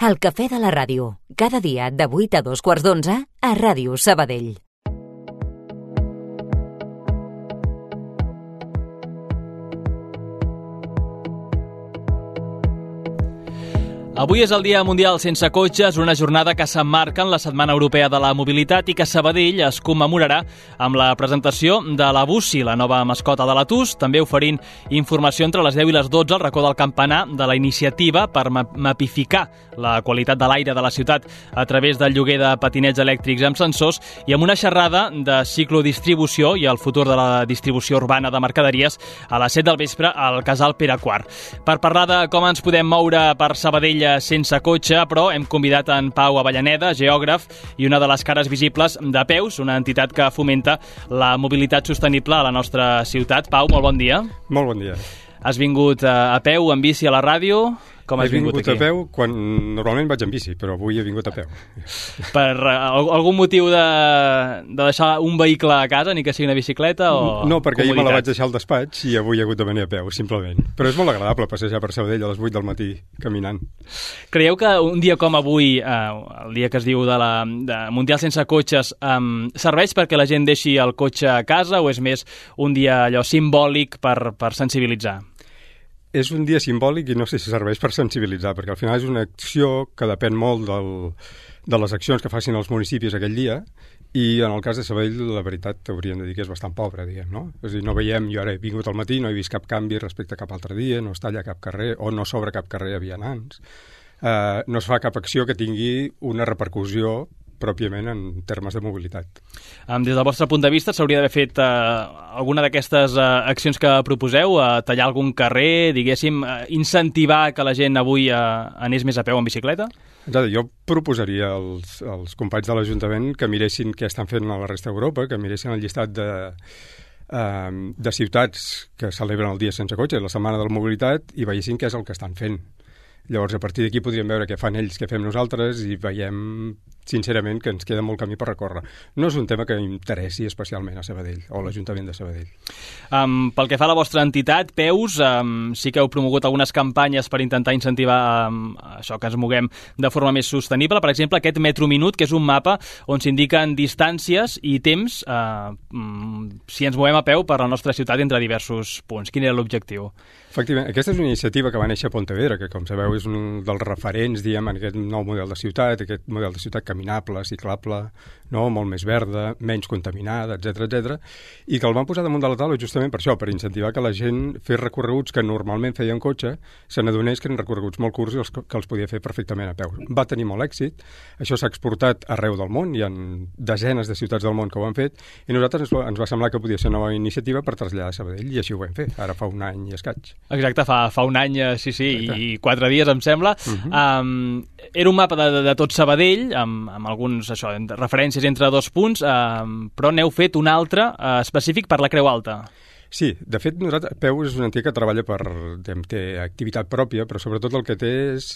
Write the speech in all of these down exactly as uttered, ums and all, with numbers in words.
El cafè de la ràdio, cada dia de vuit a dos quarts d'onze a Ràdio Sabadell. Avui és el Dia Mundial Sense Cotxes, una jornada que s'emmarca en la Setmana Europea de la Mobilitat i que Sabadell es commemorarà amb la presentació de la Bussi, la nova mascota de la T U S, també oferint informació entre les deu i les dotze al racó del campanar de la iniciativa per mapificar la qualitat de l'aire de la ciutat a través del lloguer de patinets elèctrics amb sensors i amb una xerrada de ciclodistribució i el futur de la distribució urbana de mercaderies a les set del vespre al Casal Pere quart. Per parlar de com ens podem moure per Sabadell sense cotxe, però hem convidat en Pau Avellaneda, geògraf i una de les cares visibles de Peus, una entitat que fomenta la mobilitat sostenible a la nostra ciutat. Pau, molt bon dia. Molt bon dia. Has vingut a peu en bici a la ràdio? Com has he vingut, vingut aquí? a peu quan normalment vaig en bici, però avui he vingut a peu. Per uh, algun motiu de, de deixar un vehicle a casa, ni que sigui una bicicleta o No, perquè ahir me la vaig comoditat? deixar al despatx i avui he hagut de venir a peu, simplement. Però és molt agradable passejar per Sabadell a les vuit del matí caminant. Creieu que un dia com avui, eh, el dia que es diu de la de Mundial Sense Cotxes, eh, serveix perquè la gent deixi el cotxe a casa o és més un dia allò simbòlic per, per sensibilitzar? És un dia simbòlic i no sé si serveix per sensibilitzar, perquè al final és una acció que depèn molt del, de les accions que facin els municipis aquell dia, i en el cas de Sabadell, la veritat, hauríem de dir que és bastant pobra, diguem, no? És a dir, no veiem, jo ara he vingut al matí, no he vist cap canvi respecte a cap altre dia, no es talla cap carrer, o no s'obre cap carrer a vianants. Uh, no es fa cap acció que tingui una repercussió pròpiament en termes de mobilitat. Um, des del vostre punt de vista, s'hauria d'haver fet uh, alguna d'aquestes uh, accions que proposeu, uh, tallar algun carrer, diguéssim, uh, incentivar que la gent avui uh, anés més a peu en bicicleta? Exacte, jo proposaria als, als companys de l'Ajuntament que miressin què estan fent a la resta d'Europa, que miressin el llistat de, uh, de ciutats que celebren el dia sense cotxe, la Setmana de la Mobilitat, i veiessin què és el que estan fent. Llavors, a partir d'aquí podríem veure què fan ells, què fem nosaltres, i veiem, sincerament, que ens queda molt camí per recórrer. No és un tema que interessi especialment a Sabadell, o a l'Ajuntament de Sabadell. Um, pel que fa a la vostra entitat, Peus, um, sí que heu promogut algunes campanyes per intentar incentivar um, això, que ens moguem de forma més sostenible. Per exemple, aquest Metro Minut, que és un mapa on s'indiquen distàncies i temps uh, um, si ens movem a peu per la nostra ciutat entre diversos punts. Quin era l'objectiu? Efectivament, aquesta és una iniciativa que va néixer a Pontevedra, que, com sabeu, és un dels referents, diguem, en aquest nou model de ciutat, aquest model de ciutat caminable, ciclable, no? Molt més verda, menys contaminada, etcètera, etcètera, i que el van posar damunt de la taula justament per això, per incentivar que la gent fes recorreguts que normalment feia en cotxe, se n'adonés que eren recorreguts molt curts i els, que els podia fer perfectament a peu. Va tenir molt èxit, això s'ha exportat arreu del món, hi ha desenes de ciutats del món que ho han fet, i a nosaltres ens, ens va semblar que podia ser una nova iniciativa per traslladar a Sabadell, i així ho vam fer, ara fa un any i escaig. Exacte, fa, fa un any, sí, sí, Exacte. I quatre dies, em sembla. Uh-huh. um, era un mapa de, de, de tot Sabadell, amb, amb alguns això, referències entre dos punts, um, però n'heu fet un altre uh, específic per la Creu Alta. Sí, de fet, nosaltres, Peu és una entitat que treballa per, té activitat pròpia, però sobretot el que té és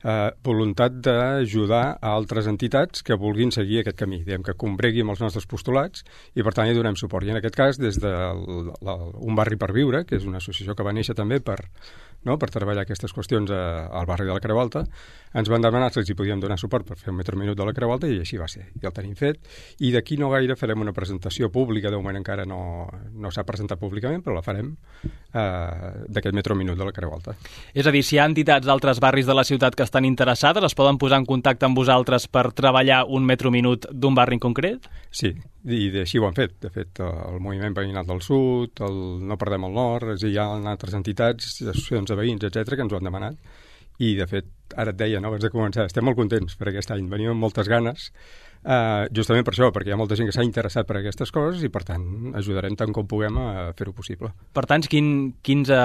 eh, voluntat d'ajudar a altres entitats que vulguin seguir aquest camí, diguem, que combregui amb els nostres postulats, i per tant hi donem suport. I en aquest cas, des de Un Barri per Viure, que és una associació que va néixer també per, no, per treballar aquestes qüestions a, al barri de la Creu Alta, ens van demanar si els hi podíem donar suport per fer un Metro Minut de la Creu Alta, i així va ser. I el tenim fet, i d'aquí no gaire farem una presentació pública, de moment encara no, no s'ha presentat públicament, però la farem, eh, d'aquest Metro Minut de la Creu Alta. És a dir, si hi ha entitats d'altres barris de la ciutat que estan interessades, es poden posar en contacte amb vosaltres per treballar un Metro Minut d'un barri en concret? Sí, i així ho han fet. De fet, el Moviment Veïnal del Sud, el No Perdem el Nord, és a dir, hi ha altres entitats, associacions de veïns, etcètera, que ens ho han demanat. I, de fet, ara et deia, no, abans de començar, estem molt contents per aquest any. Venim amb moltes ganes, Uh, justament per això, perquè hi ha molta gent que s'ha interessat per aquestes coses i, per tant, ajudarem tant com puguem a fer-ho possible. Per tant, quin, quinze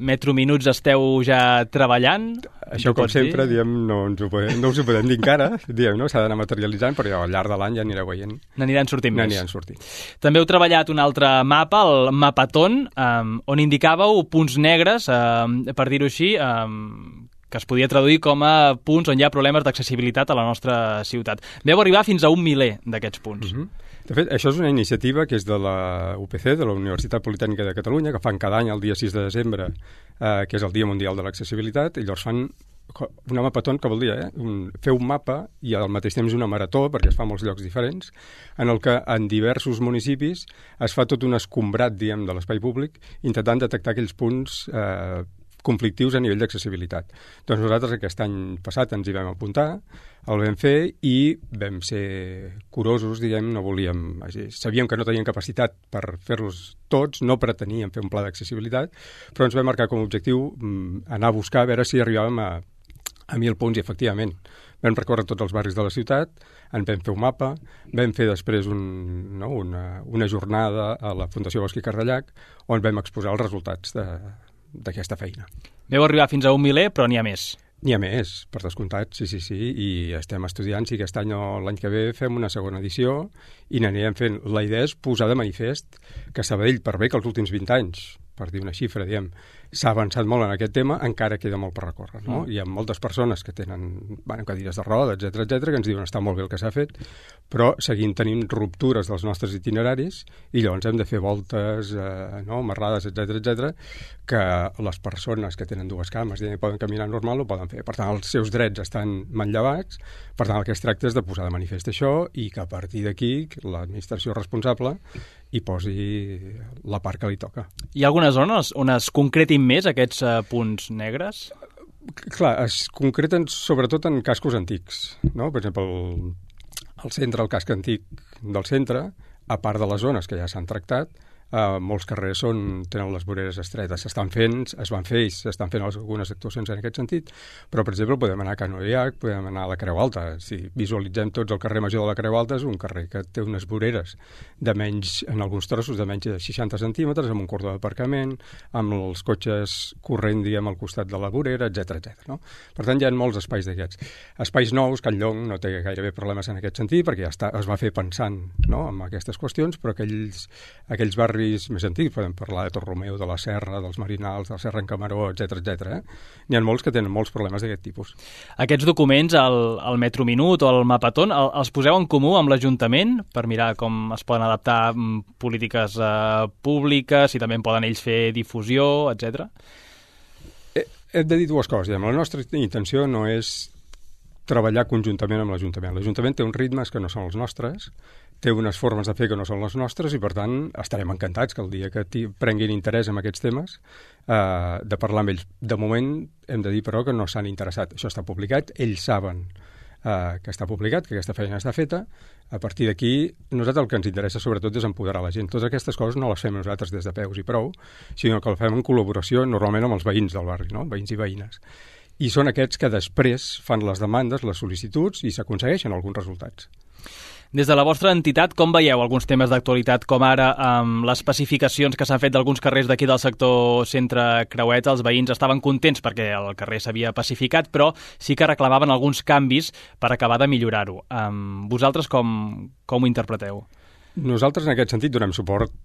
metrominuts esteu ja treballant? Això, com sempre, diem, no, ens ho podem, no us ho podem dir encara, diem, no? S'ha d'anar materialitzant, però al llarg de l'any ja anireu veient. N'aniran sortint més. N'aniran sortint. També heu treballat un altre mapa, el Mapaton, um, on indicàveu punts negres, um, per dir-ho així, um, que es podia traduir com a punts on hi ha problemes d'accessibilitat a la nostra ciutat. Veu arribar fins a un miler d'aquests punts. Uh-huh. De fet, això és una iniciativa que és de la U P C, de la Universitat Politècnica de Catalunya, que fan cada any el dia sis de desembre, eh, que és el Dia Mundial de l'Accessibilitat, i llavors fan una mapaton, que vol dir, eh? Un, fer un mapa i al mateix temps una marató, perquè es fa a molts llocs diferents, en el que en diversos municipis es fa tot un escombrat, diguem, de l'espai públic, intentant detectar aquells punts eh, conflictius a nivell d'accessibilitat. Doncs nosaltres aquest any passat ens hi vam apuntar, el vam fer i vam ser curosos, diguem, no volíem... Sabíem que no teníem capacitat per fer-los tots, no preteníem fer un pla d'accessibilitat, però ens vam marcar com a objectiu mm, anar a buscar a veure si arribàvem a, a mil punts, i efectivament vam recórrer tots els barris de la ciutat, en vam fer un mapa, vam fer després un, no, una, una jornada a la Fundació Bosch i Cardellac on vam exposar els resultats de, d'aquesta feina. Veu arribar fins a un miler, però n'hi ha més. N'hi ha més, per descomptat, sí, sí, sí, i estem estudiant si aquest any o l'any que ve fem una segona edició i n'anirem fent. La idea és posar de manifest que Sabadell, per bé que els últims vint anys, per dir una xifra, diem, s'ha avançat molt en aquest tema, encara queda molt per recórrer, no? Mm. Hi ha moltes persones que tenen bueno, cadires de roda, etcètera, etcètera, que ens diuen està molt bé el que s'ha fet, però seguim tenint ruptures dels nostres itineraris i llavors hem de fer voltes, eh, no, marrades, etcètera, etcètera, que les persones que tenen dues cames i poden caminar normal ho poden fer. Per tant, els seus drets estan manllevats, per tant, el que es tracta és de posar de manifest això i que a partir d'aquí l'administració responsable hi posi la part que li toca. Hi ha algunes zones on es concretin més aquests uh, punts negres? Clar, es concreten sobretot en cascos antics, no? Per exemple, el, el centre, el casc antic del centre, a part de les zones que ja s'han tractat, Uh, molts carrers són, tenen les voreres estretes, s'estan fent, es van fer i s'estan fent algunes actuacions en aquest sentit, però per exemple podem anar a Can Oiac, podem anar a la Creu Alta. Si visualitzem tots el carrer Major de la Creu Alta, és un carrer que té unes voreres de menys, en alguns trossos de menys de seixanta centímetres, amb un cordó d'aparcament, amb els cotxes corrent, diguem, al costat de la vorera, etcètera, etcètera. No? Per tant, hi ha molts espais d'aquests. Espais nous, Can Llong no té gairebé problemes en aquest sentit, perquè ja està, es va fer pensant, no?, en aquestes qüestions, però aquells, aquells barris més antics, podem parlar de Torromeu, de la Serra, dels Marinals, de la Serra en Camaró, etcètera, etcètera. Eh? N'hi ha molts que tenen molts problemes d'aquest tipus. Aquests documents, el, el Metro Minut o el Mapaton, el, els poseu en comú amb l'Ajuntament per mirar com es poden adaptar polítiques eh, públiques, si també en poden ells fer difusió, etcètera? Hem de dir dues coses. La nostra intenció no és treballar conjuntament amb l'Ajuntament. L'Ajuntament té uns ritmes que no són els nostres, té unes formes de fer que no són les nostres i, per tant, estarem encantats que el dia que prenguin interès en aquests temes eh, de parlar amb ells. De moment, hem de dir, però, que no s'han interessat. Això està publicat, ells saben eh, que està publicat, que aquesta feina està feta. A partir d'aquí, nosaltres el que ens interessa sobretot és empoderar la gent. Totes aquestes coses no les fem nosaltres des de peus i prou, sinó que les fem en col·laboració normalment amb els veïns del barri, no? Veïns i veïnes. I són aquests que després fan les demandes, les sol·licituds i s'aconsegueixen alguns resultats. Des de la vostra entitat, com veieu alguns temes d'actualitat, com ara amb les pacificacions que s'han fet d'alguns carrers d'aquí del sector centre Creueta? Els veïns estaven contents perquè el carrer s'havia pacificat, però sí que reclamaven alguns canvis per acabar de millorar-ho. Um, vosaltres com, com ho interpreteu? Nosaltres, en aquest sentit, donem suport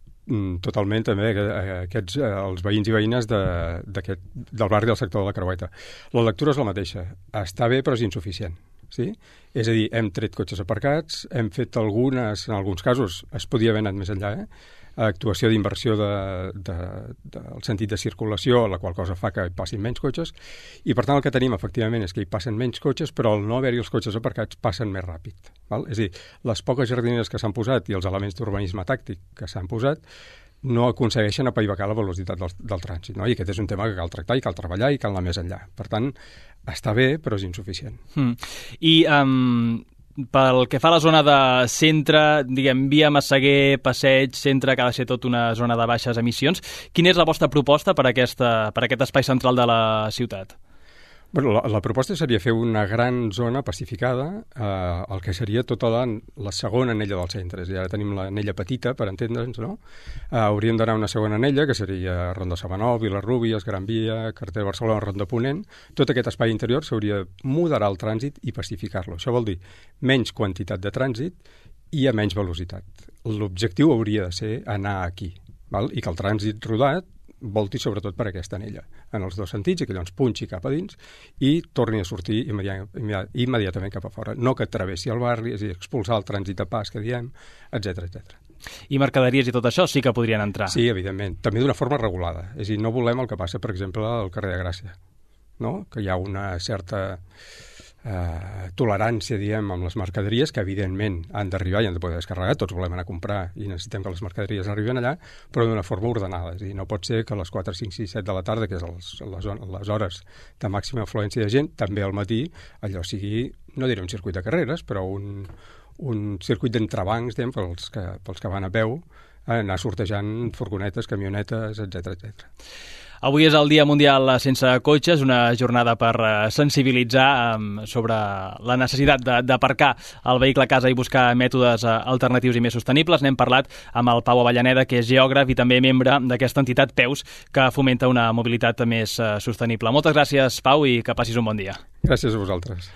totalment també a aquests, als veïns i veïnes de, del barri del sector de la Creueta. La lectura és la mateixa. Està bé, però és insuficient. Sí? És a dir, hem tret cotxes aparcats, hem fet algunes, en alguns casos es podia haver anat més enllà, eh? Actuació d'inversió del de, de, de, sentit de circulació, la qual cosa fa que hi passin menys cotxes, i per tant el que tenim efectivament és que hi passen menys cotxes, però al no haver-hi els cotxes aparcats passen més ràpid. Val? És a dir, les poques jardineres que s'han posat i els elements d'urbanisme tàctic que s'han posat no aconsegueixen apaivagar la velocitat del, del trànsit, no? I aquest és un tema que cal tractar i cal treballar i cal anar més enllà. Per tant, està bé, però és insuficient. Mm. I um, pel que fa a la zona de centre, diguem, via Massaguer, Passeig, centre, que ha de ser tot una zona de baixes emissions, quina és la vostra proposta per, aquesta, per aquest espai central de la ciutat? Bueno, la, la proposta seria fer una gran zona pacificada, eh, el que seria tota la, la segona anella del centre. I ara tenim l'anella petita, per entendre'ns, no? Eh, hauríem d'anar a una segona anella, que seria Ronda Sabanol, Vilarrúbies, Gran Via, Carretera de Barcelona, Ronda Ponent. Tot aquest espai interior s'hauria de moderar el trànsit i pacificar-lo. Això vol dir menys quantitat de trànsit i a menys velocitat. L'objectiu hauria de ser anar aquí, val? I que el trànsit rodat volti sobretot per aquesta anella, en els dos sentits, i que llavors punxi cap a dins i torni a sortir immediat, immediat, immediatament cap a fora. No que travessi el barri, és a dir, expulsar el trànsit de pas que diem, etcètera, etcètera. I mercaderies i tot això sí que podrien entrar? Sí, evidentment. També d'una forma regulada. És a dir, no volem el que passa, per exemple, al carrer de Gràcia. no? Que hi ha una certa eh, tolerància, diem, amb les mercaderies, que evidentment han d'arribar i han de poder descarregar, tots volem anar a comprar i necessitem que les mercaderies arriben allà, però d'una forma ordenada. És a dir, no pot ser que a les quatre, cinc, sis, set de la tarda, que és les, les, les hores de màxima afluència de gent, també al matí, allò sigui, no diré un circuit de carreres, però un, un circuit d'entrebancs, diguem, pels que, pels que van a peu, anar sortejant furgonetes, camionetes, etcètera, etcètera. Avui és el Dia Mundial Sense Cotxes, una jornada per sensibilitzar sobre la necessitat d'aparcar el vehicle a casa i buscar mètodes alternatius i més sostenibles. N'hem parlat amb el Pau Avellaneda, que és geògraf i també membre d'aquesta entitat Peus, que fomenta una mobilitat més sostenible. Moltes gràcies, Pau, i que passis un bon dia. Gràcies a vosaltres.